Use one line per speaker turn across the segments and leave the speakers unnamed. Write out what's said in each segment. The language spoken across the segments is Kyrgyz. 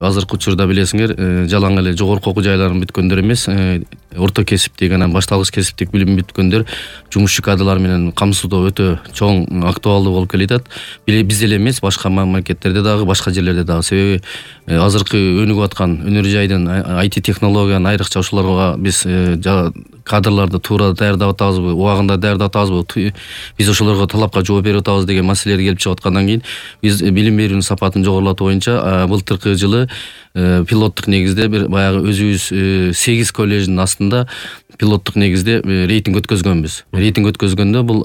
Азыркы учурда билесиңер, жалаң эле жогорку окуу жайларын бүткөндөр эмес, орто кесиптик анан башталгыч кесиптик билим бүткөндөр жумушчу кадрлар менен камсыздоо өтө чоң, актуалдуу болуп келатат. Биз эле эмес, башка мамлекеттерде дагы, башка жерлерде дагы. Себеби азыркы өнүгүп аткан өнөр жайдын IT технологиянын айрыкча ушуларга биз кадрларды туура даярдап атабызбы, убагында даярдап атабызбы, биз ошолорго талапка жооп берип атабыз деген маселелер келип чыгып аткандан кийин биз билим берүүнүн сапатын жогорулатуу боюнча былтыркы жылы пилоттук негизде бир баягы өзүбүз 8 коллеждин астында пилоттук негизде рейтинг өткөзгөнбүз. Рейтинг өткөзгөндө бул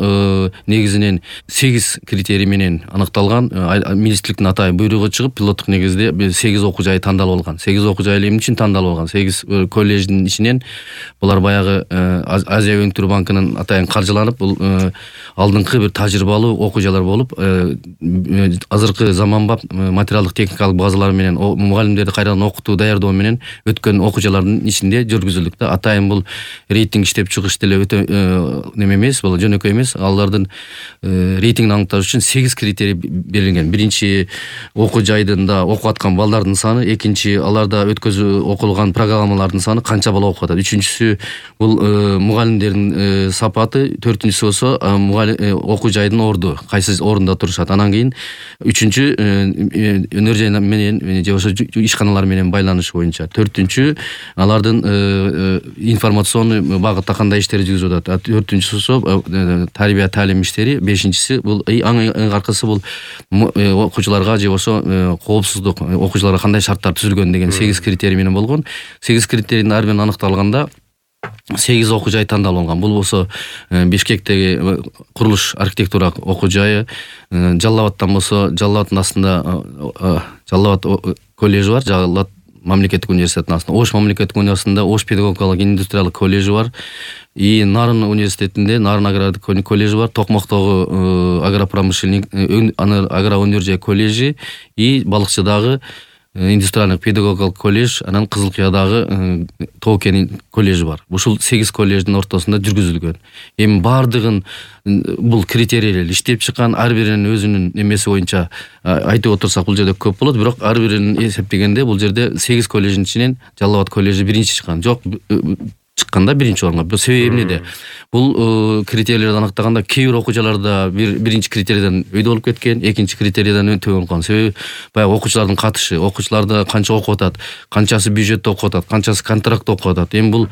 негизинен 8 критерий менен аныкталган, министрликтин атайын буйругу чыгып, пилоттук негизде 8 окуу жай тандалып алган. 8 окуу жай эмне үчүн тандалып алган? 8 коллеждин ичинен булар баягы Азия өнүктүрүү банкынын атайын каржыланып, бул алдыңкы бир тажрыйбалуу окуу жайлар болуп, азыркы заманбап материалдык техникалык базалар менен мугалимдерди кайрадан окутуу, даярдоо менен өткөн окуу жайлардын ичинде жүргүзүлдүк да. Атайын бул рейтинг иштеп чыгыш деле өтө неме эмес, бул жөнөкөй эмес. Алардын рейтингин аныкташ үчүн 8 критерий берилген. Биринчи, окуу жайдында окуп аткан балдардын саны, экинчи, аларда окулган программалардын саны, канча бала окуп атат. Үчүнчүсү, бул мугалимдердин сапаты, төртүнчүсү болсо окуу жайдын орду, кайсы орунда турушат. Анан кийин үчүнчү, өнөр жай менен же болбосо ишканалар менен байланыш боюнча. Төртүнчү, алардын информационный багытта кандай иштери жүргүзүп атат. Төртүнчүсү тарбия таалим иштери. Бешинчиси, бул эң аркысы бул окуучуларга же болбосо коопсуздук, окуучуларга кандай шарттар түзүлгөн деген 8 критерий менен болгон. 8 критерийдин ар бирин аныкталганда 8 окуу жай тандалып алган. Бул болсо Бишкектеги курулуш архитектура окуу жайы, Жалал абадтан болсо Жалал абадтын астында Жалал абад коллежи бар, Жалал абад мамлекеттик университеттин астында. Ош мамлекеттик университетинде Ош педагогикалык индустриалдык коллежи бар. И Нарын университетинде Нарын агрардык коллежи бар. Токмоктогу агропромышленник, агроөнөр жай коллежи и Балыкчыдагы индустриалдык педагогикалык коллеж, анан Кызыл Кыядагы Тоокен коллежи бар. Ушул 8 коллеждин ортосунда жүргүзүлгөн. Эми бардыгын бул критерийлер иштеп чыккан, ар биринин өзүнүн эмеси боюнча айтып отурсак бул жерде көп болот, бирок ар бирин эсептегенде бул жерде 8 коллеждин ичинен Жалал абад коллежи биринчи чыккан. Жок, чыкканда биринчи орунга. Бул себеби эмнеде? Бул критерийлерди аныктаганда кээ бир окуу жайларда биринчи критерийден өйдө болуп кеткен, экинчи критерийден төмөн болуп калган. Себеби баягы окуучулардын катышы, окуучуларда канча окуп атат, канчасы бюджетте окуп атат, канчасы контрактта окуп атат. Эми бул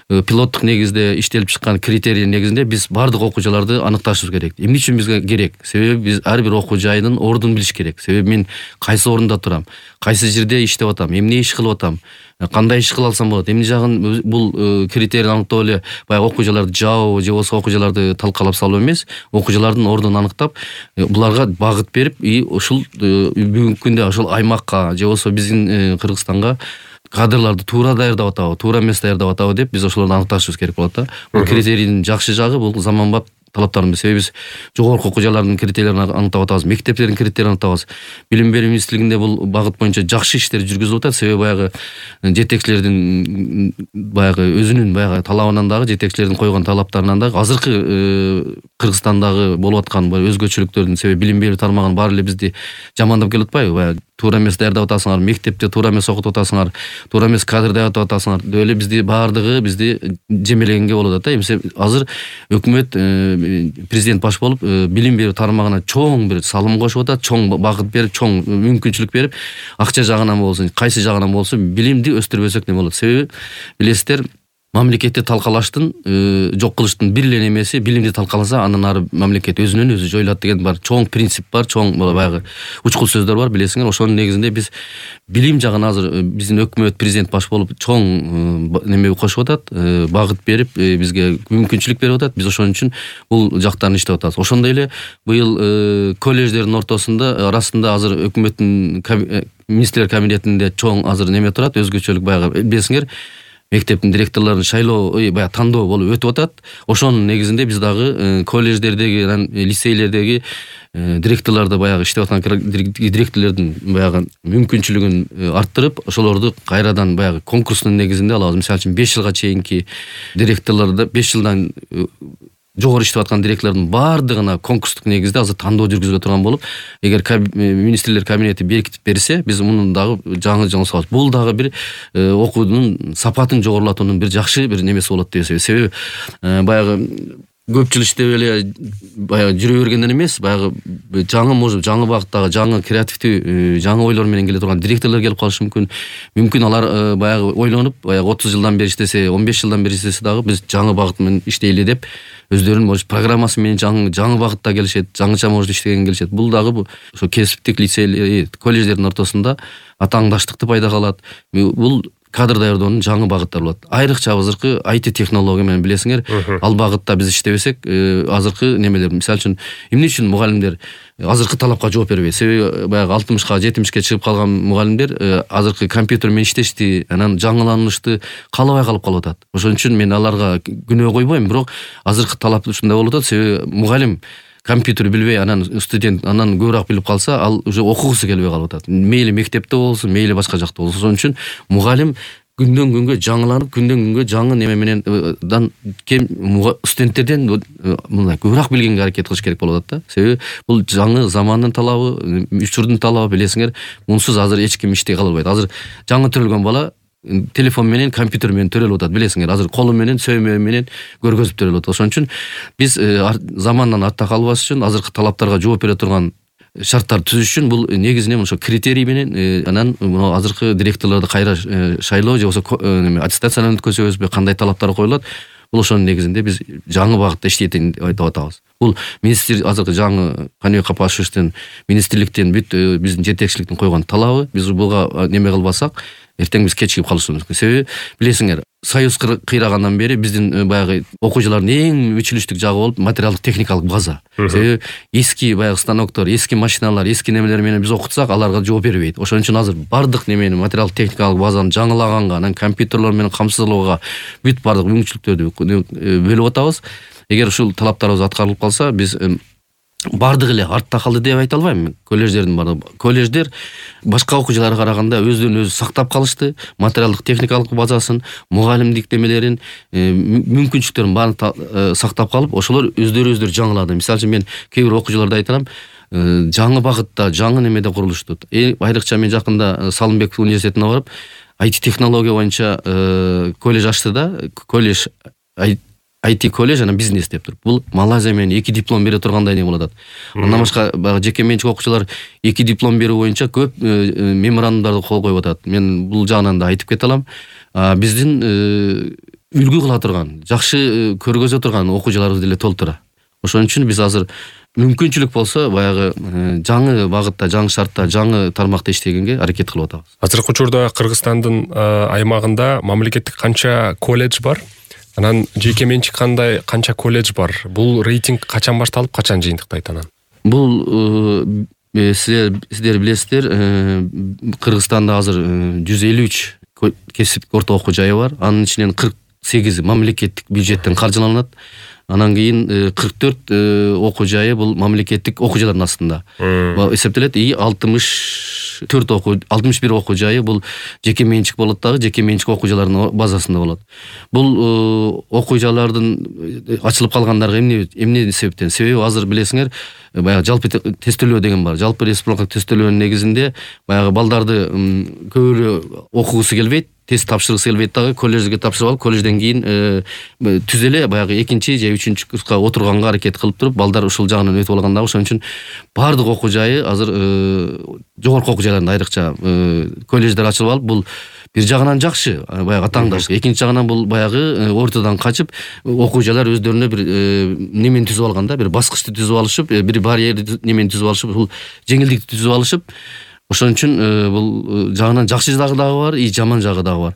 пилоттук негизде иштелип чыккан критерий негизинде биз бардык окуу жайларды аныкташыбыз керек. Эмне үчүн бизге керек? Себеби биз ар бир окуу жайдын ордун билиш керек. Себеби мен кайсы орунда турам, кайсы жерде иштеп атам, эмне иш кылып атам, кандай иш кыла алсам болот, эмне жагын бул критерийди аныктап эле баягы окуу жайларды жабуу же болбосо окуу жайларды талкалап салуу эмес, окуу жайлардын ордун аныктап, буларга багыт берип, ушул бүгүнкү күндө ошол аймакка же болбосо биздин Кыргызстанга кадрларды туура даярдап атабы, туура эмес даярдап атабы деп биз ошолорду аныкташыбыз керек болот да. Бул критерийдин жакшы жагы бул заманбап талаптарын. Себеби биз жогорку окуу жайлардын критерийлерин аныктап атабыз, мектептердин критерийлерин аныктабыз. Билим берүү министрлигинде бул багыт боюнча жакшы иштер жүргүзүлүп атат. Себеби баягы жетекчилердин баягы өзүнүн баягы талабынан дагы, жетекчилердин койгон талаптарынан дагы азыркы Кыргызстандагы болуп аткан өзгөчөлүктөрдүн себеби билим берүү тармагын баары эле бизди жамандап келип атпайбы? Баягы туура эмес даярдап атасыңар, мектепте туура эмес окутуп атасыңар, туура эмес кадр даярдап атасыңар деп эле бизди баардыгы жемелегенге болот да. Эми азыр өкмөт, президент баш болуп билим берүү тармагына чоң бир салым кошуп атат, чоң багыт берип, чоң мүмкүнчүлүк берип, акча жагынан болсун, кайсы жагынан болсун билимди өстүрбөсөк не болот? Себеби билесиздер, мамлекетти талкалаштын, жок кылыштын бир эле немеси билимди талкаласа, андан ары мамлекет өзүнөн өзү жоюлат деген бар. Чоң принцип бар, чоң баягы учкул сөздөр бар, билесиңер. Ошонун негизинде биз билим жагына азыр биздин өкмөт, президент баш болуп чоң неме кошуп атат, багыт берип, бизге мүмкүнчүлүк берип атат. Биз ошон үчүн бул жактарын иштеп атабыз. Ошондой эле быйыл коллеждердин арасында азыр өкмөттүн министрлер кабинетинде чоң азыр неме турат, өзгөчөлүк баягы билесиңер, мектептин директорлорун шайлоо, баягы тандоо болуп өтүп атат. Ошонун негизинде биз дагы коллеждердеги, лицейлердеги директорлорду баягы иштеп аткан директорлордун баягы мүмкүнчүлүгүн арттырып, ошолорду кайрадан баягы конкурстун негизинде алабыз. Мисалы үчүн 5 жылга чейинки директорлорду 5 жылдан жогору иштеп аткан директорлордун баардыгына конкурстук негизде азыр тандоо жүргүзүлө турган болуп, эгер министрлер кабинети беркитип берсе, биз мунун дагы жаңы салабыз. Бул дагы бир окуунун сапатын жогорулатуунун бир жакшы бир немеси болот деп эсептейм. Себеби баягы көпчүлүк иштеп эле баягы жүрө бергенден эмес, баягы жаңы багыттагы, жаңы креативдүү, жаңы ойлор менен келе турган директорлор келип калышы мүмкүн. Мүмкүн алар баягы ойлонуп, баягы 30 жылдан бери иштесе, 15 жылдан бери иштесе дагы биз жаңы багыт менен иштейли деп өздөрүнүн может программасы менен жаңы багытта келишет, жаңыча может иштеген келишет. Бул дагы ошо кесиптик лицей, колледждердин ортосунда атааңдаштыкты пайда кылат. Бул кадр даярдоонун жаңы багыттары болот. Айрыкча азыркы IT технология менен билесиңер, ал багытта биз иштебесек, азыркы немелер, мисалы үчүн, эмне үчүн мугалимдер азыркы талапка жооп бербейт? Себеби баягы 60ка, 70ке чыгып калган мугалимдер азыркы компьютер менен иштешти, анан жаңыланышты каалабай калып атат. Ошон үчүн мен аларга күнөө койбойм, бирок азыркы талап ушундай болуп атат. Себеби мугалим компьютер билбей, анан студент анан көбүрөөк билип калса, ал уже окугусу келбей калып атат. Мейли мектепте болсун, мейли башка жакта болсун. Ошон үчүн мугалим күндөн күнгө жаңыланып, күндөн күнгө жаңы неме менен студенттерден мындай көбүрөөк билгенге аракет кылыш керек болуп атат да. Себеби бул жаңы замандын талабы, учурдун талабы, билесиңер, мунсуз азыр эч ким иштей кала албайт. Азыр жаңы төрөлгөн бала телефон менен, компьютер менен төрөлүп атат, билесиңер. Азыр колу менен, сөймө менен көргөзүп төрөлүп атат. Ошон үчүн биз замандан артта калбаш үчүн, азыркы талаптарга жооп бере турган шарттар түзүш үчүн бул негизинен ошо критерий менен анан мына азыркы директорлорду кайра шайлоо же болбосо аттестациядан өткөзөбүзбү, кандай талаптар коюлат, бул ошонун негизинде биз жаңы багытта иштейт деп айтып атабыз. Бул министр азыркы жаңы Каныбек Капашевичтин министрликтен бүт биздин жетекчиликтин койгон талабы. Биз буга неме кылбасак, эртең биз кечигип калышыбыз мүмкүн. Себеби билесиңер, Союз кыйрагандан бери биздин баягы окуучулардын эң өчүлүштүк жагы болуп материалдык техникалык база. Себеби эски баягы станоктор, эски машиналар, эски немелер менен биз окутсак, аларга жооп бербейт. Ошон үчүн азыр бардык немени материалдык техникалык базаны жаңылаганга, анан компьютерлор менен камсыздоого бүт бардык мүмкүнчүлүктөрдү бөлүп атабыз. Эгер ушул талаптарыбыз аткарылып калса, биз бардык эле артта калды деп айта албайм. Колледждер башка окуучуларга караганда өздөрүн өзү сактап калышты, материалдык техникалык базасын, мугалимдик немелерин, мүмкүнчүлүктөрүн баарын сактап калып, ошолор өздөрү жаңылады. Мисалы үчүн мен кээ бир окуучуларда айтам, жаңы багытта, жаңы немеде курулушту. Айрыкча мен жакында Салымбек университетине барып, IT технология боюнча колледж ачты да, колледж IT колледж анан бизнес деп туруп. Бул Малайзия менен 2 диплом бере тургандай не болот. Андан башка жеке менчик окуучулар 2 диплом берүү боюнча көп меморандумдарды кол коюп атат. Мен бул жагынан да айтып кете алам. Биздин үлгү кыла турган, жакшы көргөзө турган окуучуларыбыз деле толтура. Ошон үчүн биз азыр мүмкүнчүлүк болсо баягы жаңы багытта, жаңы шартта, жаңы тармакта иштегенге аракет кылып атабыз.
Азыркы учурда Кыргызстандын аймагында мамлекеттик канча колледж бар? Анан жеке менчик канча колледж бар? Бул рейтинг качан башталып, качан жыйынтыктайт анан?
Бул сиздер билесиздер, Кыргызстанда азыр 153 кесиптик орто окуу жайы бар. Анын ичинен 48 мамлекеттик бюджеттен каржыланат. Анан кийин 44 окуу жайы бул мамлекеттик окуу жайлардын астында эсептелет. 61 окуу жайы бул жеке менчик болот дагы, жеке менчик окуу жайлардын базасында болот. Бул окуу жайлардын ачылып калгандарга эмне себептен? Себеби азыр билесиңер, баягы жалпы тестөлөө деген бар. Жалпы республикалык тестөлөөнүн негизинде баягы балдарды көбүрөөк окугусу келбейт, тест тапшыргысы келбейт дагы, колледжге тапшырып алып, колледжден кийин түз эле баягы 2-чи же 3-чү курска отурганга аракет кылып туруп, балдар ушул жагынан өтүп алган дагы. Ошон үчүн бардык окуу жайы азыр жогорку окуу жайларында айрыкча колледждер ачылып алып, бул бир жагынан жакшы, баягы атааңдаш. Экинчи жагынан бул баягы ортодон качып, окуу жайлар өздөрүнө бир немени түзүп алганда, бир баскычты түзүп алышып, бир барьерди немени түзүп алышып, бул жеңилдикти түзүп алышып, ошон үчүн бул жагынан жакшы жагы дагы бар, жаман жагы дагы бар.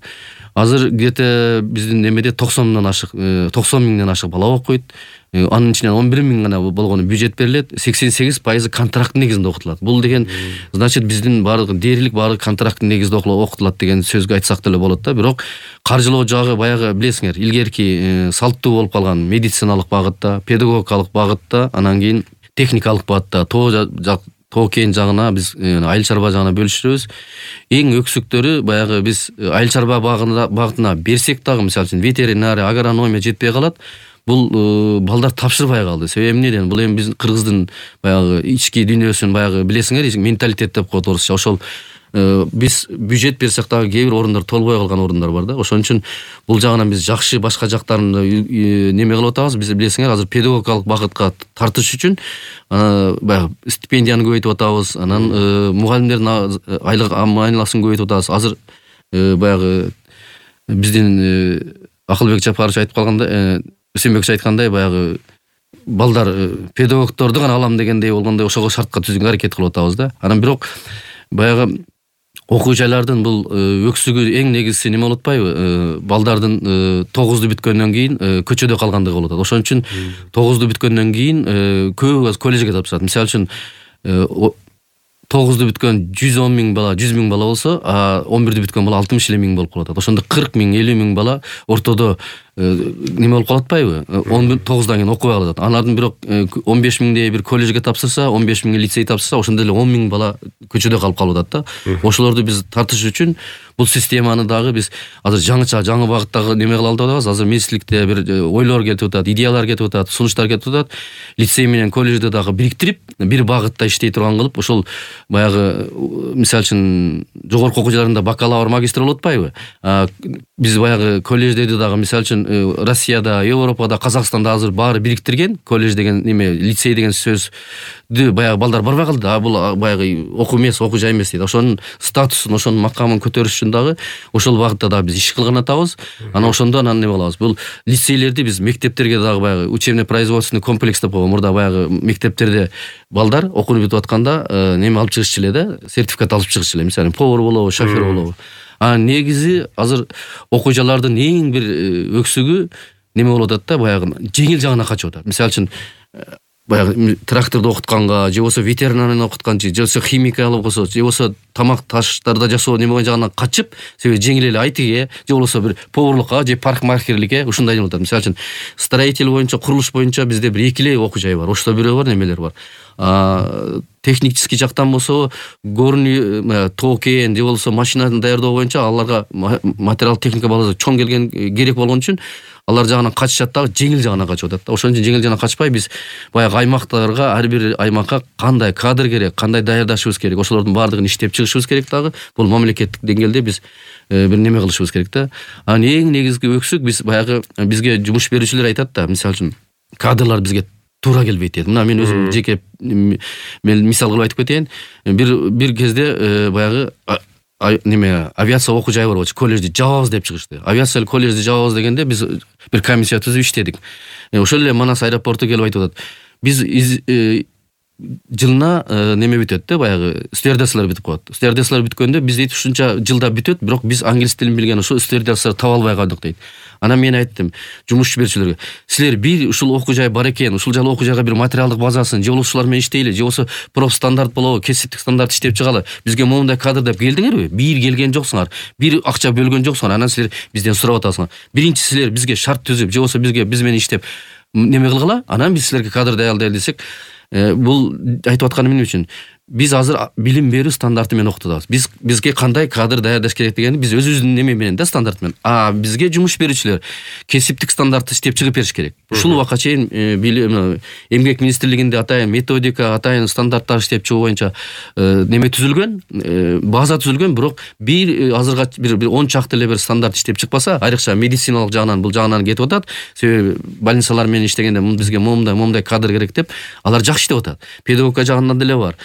Азыр где-то биздин немеде 90 миңден ашык бала окуйт. Анын ичинен 11 миң гана болгону бюджет берилет, 88% контракт негизинде окутулат. Бул деген значит биздин дээрлик баардык контракт негизинде окутулат деген сөзгө айтсак деле болот да. Бирок каржылоо жагы баягы билесиңер, илгерки салттуу болуп калган медициналык багытта, педагогикалык багытта, анан кийин техникалык багытта, тоо кен жагына биз айыл чарба жагына бөлүшүбүз. Эң өксүктөрү баягы биз айыл чарба багытына берсек дагы, мисалы үчүн ветеринария, агрономия жетпей калат. бул балдар тапшырбай калды. Себеби эмнеден? Бул эми биздин кыргыздын баягы ички дүйнөсүн баягы билесиңер, менталитет деп коет орусча. Ошол биз бюджет берсек дагы кээ бир орундар толбой калган орундар бар да. Ошон үчүн бул жагынан биз жакшы башка жактарын неме кылып атабыз. Биз билесиңер, азыр педагогикалык багытка тартыш үчүн баягы стипендияны көбөйтүп атабыз. Анан мугалимдердин айлык айналасын көбөйтүп атабыз. Азыр баягы биздин Акылбек Жапарович айтып калгандай, Үсөнбекович айткандай, баягы балдар педагогторду гана алам дегендей болгондой ошого шартка түзүүгө аракет кылып атабыз да. Анан бирок баягы окуу жайлардын бул өксүгү эң негизгиси неме болуп атпайбы? Балдардын 9-ду бүткөндөн кийин көчөдө калгандыгы болуп атат. Ошон үчүн 9-ду бүткөндөн кийин көбү коллежге тапшырат. Мисалы үчүн 9-ду бүткөн 110 миң бала, 100 миң бала болсо, 11-ду бүткөн бала 60 миң болуп калат. Ошондо 40 миң, 50 миң бала ортодо неме болуп калат атпайбы? 9-дан кийин окубай калат. Алардын бирок 15 миңдей бир коллежге тапшырса, 15 миң лицей тапшырса, ошондо эле 10 миң бала көчөдө калып атат да. Ошолорду биз тартыш үчүн бул системаны дагы биз азыр жаңы багыттагы неме кыла алабыз. Азыр министрликте бир ойлор кетип атат, идеялар кетип атат, сунуштар кетип атат. Лицей менен коллежди дагы бириктирип, бир багытта иштей турган кылып, ошол баягы мисалы үчүн жогорку окуу жайларында бакалавр, магистр болуп атпайбы? Биз баягы коллеждерди дагы мисалы үчүн Россияда, Европада, Казакстанда азыр баары бириктирген. Коллеж деген неме, лицей деген сөздү баягы балдар барбай калды. Бул баягы окуу эмес, окуу жай эмес дейт. Ошонун статусун, ошонун макамын көтөрүш үчүн дагы ошол багытта дагы биз иш кылган атабыз. Анан ошондо неме кылабыз? Бул лицейлерди биз мектептерге дагы баягы учебно-производственный комплекс деп койгон. Мурда баягы мектептерде балдар окууну бүтүп атканда неме алып чыгышчу эле да, сертификат алып чыгышчу эле. Мисалы повар болобу, шофер болобу. Негизи азыр окуу жайлардын эң бир өксүгү неме болуп атат да, баягы жеңил жагына качып атат. Мисалы үчүн баягы тракторду окутканга, же болбосо ветеринарияны окутканчы, же болбосо химикалык болсо, же болбосо тамак таштарды жасоо неме жагынан качып, себеби жеңил эле айтыге, же болбосо бир поварлыкка, же парикмахерликке ушундай неме атат. Мисалы үчүн строитель боюнча, курулуш боюнча бизде бир 2 эле окуу жай бар. Ошто бирөө бар, немелер бар. Технический жактан болсо, горный токен, же болбосо машинаны даярдоо боюнча аларга материал техника базасы чоң келген керек болгон үчүн алар жагынан качышат дагы, жеңил жагына качып атат да. Ошон үчүн жеңил жагына качпай биз баягы аймактарга, ар бир аймакка кандай кадр керек, кандай даярдашыбыз керек, ошолордун баардыгын иштеп чыгышыбыз керек дагы. Бул мамлекеттик деңгээлде биз бир неме кылышыбыз керек да. Анан эң негизги өксүк биз баягы бизге жумуш берүүчүлөр айтат да, мисалы үчүн кадрлар бизге туура келбейт дейт. Мына мен өзүм жеке мен мисал кылып айтып кетейин. Бир кезде баягы неме авиация окуу жайы бар болчу, коллежди жабабыз деп чыгышты. Авиация коллежди жабабыз дегенде биз бир комиссия түзүп иштедик. Ошол эле Манас аэропорту келип айтып атат. Биз жылына неме бүтөт да, баягы стюардессалар бүтүп коет. Стюардессалар бүткөндө биз дейт ушунча жылда бүтөт, бирок биз англис тилин билген ошо стюардессаларды таба албай калдык дейт. Анан мен айттым жумуш берүүчүлөргө, силер бир ушул окуу жай бар экен, ушул жайлы окуу жайга бир материалдык базасын, же болбосо ушулар менен иштейли, же болбосо профстандарт болобу, кесиптик стандарт иштеп чыгалы. Бизге моундай кадр деп келдиңерби? Бир келген жоксуңар, бир акча бөлгөн жоксуңар, анан силер бизден сурап атасыңар. Биринчи силер бизге шарт түзүп, же болбосо биз менен иштеп неме кылгыла, анан биз силерге кадр даярдайлы десек, бул айтып атканым эмне үчүн? Биз азыр билим берүү стандарты менен окутабыз. Бизге кандай кадр даярдаш керек дегенди биз өзүбүздүн неме менен да, стандарт менен. Бизге жумуш берүүчүлөр кесиптик стандартты иштеп чыгып бериш керек. Ушул убакка чейин эмгек министрлигинде атайын методика, атайын стандарттар иштеп чыгуу боюнча неме түзүлгөн, база түзүлгөн, бирок бир азырга бир 10 чакты эле бир стандарт иштеп чыкпаса, айрыкча медициналык жагынан бул жагынан кетип атат. Себеби больницалар менен иштегенде бизге моундай кадр керек деп алар жакшы иштеп атат. Педагогика жагынан деле бар.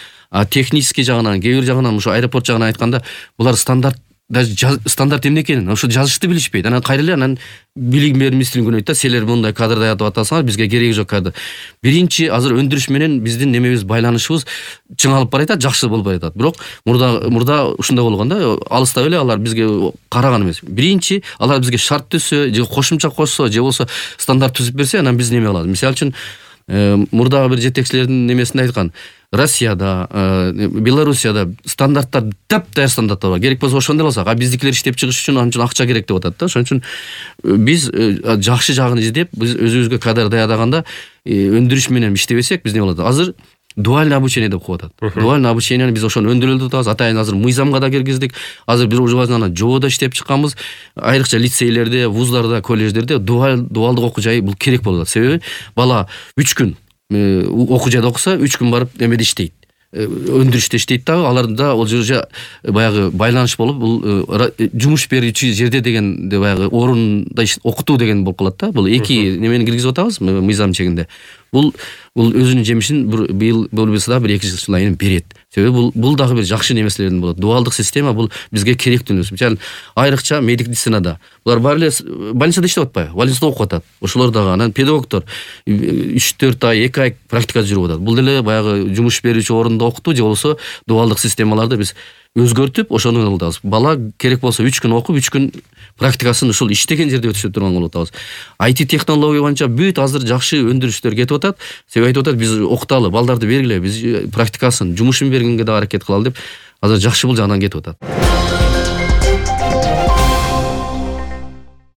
Технический жагынан, кээ бир жагынан, ушу аэропорт жагынан айтканда, булар стандарт эмне экенин ошо жазышты билишпейт. Анан кайра эле анан билим берүү министрлигине өтөт да, силер мындай кадр даярдап атасыңар, бизге кереги жок кадр. Биринчи азыр өндүрүш менен биздин немебиз, байланышыбыз чыңалып баратат, жакшы болуп баратат. Бирок мурда ушундай болгон да, алыста эле алар бизге караган эмес. Биринчи алар бизге шарт түзсө, же кошумча кошсо, же болбосо стандарт түзүп берсе, анан биз неме кылабыз. Мисалы үчүн мурдагы бир жетекчилердин немесинде айткан, Россияда, Белоруссияда стандарттар таптайыр стандарттар бар. Керек болсо ошондой болсак, биздикилер иштеп чыгыш үчүн анча акча керек деп атат да. Ошон үчүн биз жакшы жагын издеп, биз өзүбүзгө кадр даярдаганда өндүрүш менен иштебесек, биз не болот? Азыр дуальный обучение деп коюп атат. Дуальный обучениени биз ошону өндүрүп атабыз. Атайын азыр мыйзамга да киргиздик. Азыр бир ужубазынан жободо иштеп чыкканбыз. Айрыкча лицейлерде, вуздарда, колледждерде дуалдык окуу жай бул керек болуп атат. Себеби бала 3 күн окуу жайда окуса, 3 күн барып эмеде иштейт. Өндүрүштө иштейт дагы, аларда ол жерде баягы байланыш болуп, бул жумуш берүүчү жерде дегенде баягы орунда окутуу деген болуп калат да. Бул эки немени киргизип атабыз мыйзам чегинде. Бул өзүнүн жемишин быйыл болбосо да 1-2 жылдан кийин берет. Себеби бул дагы бир жакшы немеселерден болот. Дуалдык система бул бизге керектүү нерсе. Мисалы, айрыкча медицинада булар баары эле больницада иштеп атпайбы? Больницада окуп атат. Ошолор дагы анан педагогдор 3-4 ай, 2 ай практикада жүрүп атат. Бул деле баягы жумуш берүүчү орунда окутуу же болбосо дуалдык системаларды биз өзгөртүп, ошону кылабыз. Бала керек болсо 3 күн окуп, 3 күн практикасын ушул иштеген жерде өтүшүп турган кылып атабыз. IT технология боюнча бүт азыр жакшы өндүрүштөр кетип атат. Себеби айтып атат, биз окуталы, балдарды бергиле, биз практикасын, жумушун бергенге да аракет кылалы деп азыр жакшы бул жагынан кетип атат.